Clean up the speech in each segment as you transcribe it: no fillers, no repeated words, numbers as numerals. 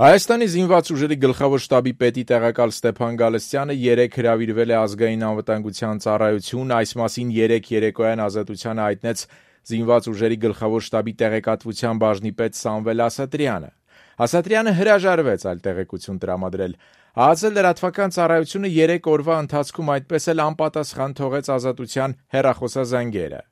Հայաստանի զինված ուժերի գլխավոր շտաբի պետի տեղակալ Ստեփան Գալստյանը երեկ հրավիրվել է Ազգային անվտանգության ծառայություն, այս մասին երեկ երեկոյան Ազատությանը հայտնեց զինված ուժերի գլխավոր շտաբի տեղեկատվության բաժնի պետ Սամվել Ասատրյանը։ Ասատրյանը հրաժարվեց այլ տեղեկություն տրամադրել։ ԱԱԾ լրատվական ծառայությունը 3 օրվա ընթացքում այդպես էլ անպատասխան թողեց Ազատության հեռախոսազանգերը։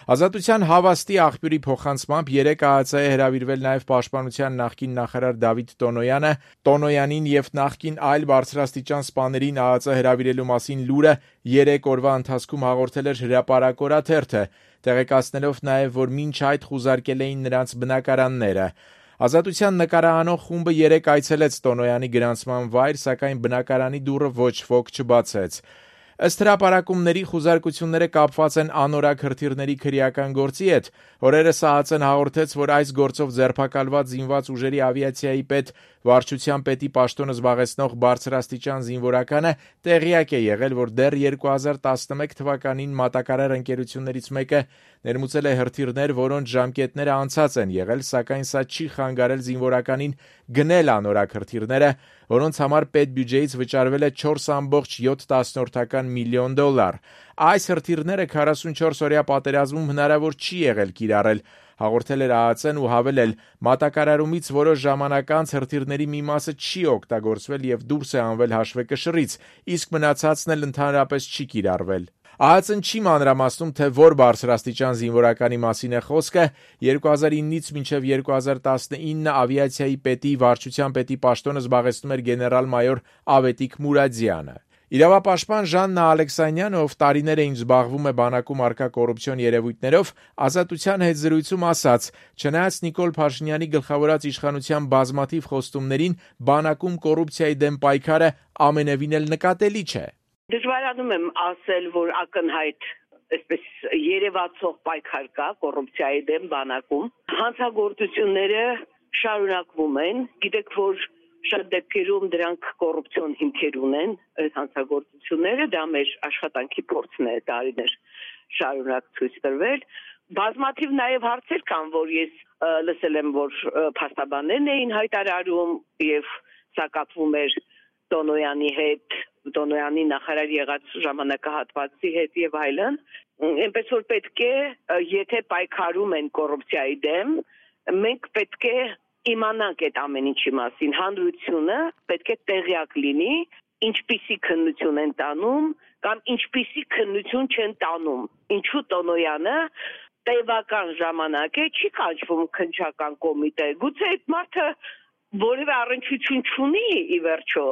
Ազատության հավաստի աղբյուրի փոխանցմամբ երեկ ԱԱԾ-է հրավիրվել նաև պաշտպանության նախկին նախարար Դավիթ Տոնոյանը, Տոնոյանին եւ նախկին այլ բարձրաստիճան սպաներին ԱԱԾ հրավիրելու մասին լուրը 3 օրվա ընթացքում հաղորդել էր հրապարակ օրաթերթը, տեղեկացնելով նաև, որ մինչ այդ խուզարկել էին նրանց բնակարանները։ Ազատության նկարահանող խումբը երեկ այցելեց Տոնոյանի գրանցման վայր, սակայն բնակարանի դուռը ոչ ոք չբացեց։ Ըստ հրապարակումների խուզարկությունները կապված են անորակ հրթիռների քրեական գործի հետ։ Օրերս ԱԱԾ-ն հաղորդեց, որ այս գործով ձերբակալված զինված ուժերի ավիացիայի պետ, վարչության պետի պաշտոնը զբաղեցնող բարձրաստիճան զինվորականը տեղյակ է եղել, որ դեռ 2011 թվականին մատակարար ընկերություններից մեկը ներմուծել է հրթիռներ, որոնց ժամկետները անցած են եղել, սակայն սա չի խանգարել զինվորականին գնել անորակ հրթիռները, որոնց համար պետբյուջեից վճարվել է 4,7 միլիոն դոլար։ Այս հրթիռները 44-օրյա պատերազմում հնարավոր չի եղել կիրառել, հաղորդել էր ԱԱԾ-ն ու հավելել, մատակարարումից որոշ ժամանակ անց հրթիռների մի մասը չի օգտագործվել եւ դուրս է հանվել հաշվեկշռից, իսկ մնացածն էլ ընդհանրապես չի կիրառվել։ ԱԱԾ-ն չի մանրամասնում, թե որ բարձրաստիճան զինվորականի մասին է խոսքը։ 2009-ից մինչև 2019 ավիացիայի պետի, վարչության պետի պաշտոնը զբաղեցնում էր գեներալ-մայոր Ավետիք Մուրադյանը։ Իրավապաշտպան Ժաննա Ալեքսանյանը, ով տարիներ է ինչ զբաղվում է բանակում առկա կոռուպցիոն երևույթներով, Ազատության հետ զրույցում ասաց. «Չնայած Նիկոլ Փաշինյանի գլխավորած իշխանության բազմաթիվ խոստումներին, բանակում կոռուպցիայի դեմ պայքարը ամենևին էլ նկատելի չէ»։ Դժվարանում եմ ասել, որ ակնհայտ այսպես երևացող պայքար կա կոռուպցիայի դեմ բանակում։ Հանցագործությունները շարունակվում են, գիտեք, որ շատ դեպքերում դրանք կոռուպցիոն հիմքեր ունեն, այս հանցագործությունները, դա մեր աշխատանքի փորձն է տարիներ շարունակ ցույց տրվել։ Բազմաթիվ նաև հարցեր կան, որ ես լսել եմ, որ փաստաբաններն էին հայտարարում եւ սա կապվում էր Տոնոյանի հետ, Տոնոյանի նախարար եղած ժամանակահատվածի հետ եւ այլն, այնպես որ պետք է, եթե պայքարում են կոռուպցիայի դեմ, մենք պետք է իմանանք այդ ամեն ինչի մասին, հանրությունը պետք է տեղյակ լինի, ինչպիսի քննություն են տանում կամ ինչպիսի քննություն չեն տանում, ինչու Տոնոյանը տևական ժամանակ է չի կանչվում քննչական կոմիտե, գուցե այդ մարդը որևէ առնչություն չունի ի վերջո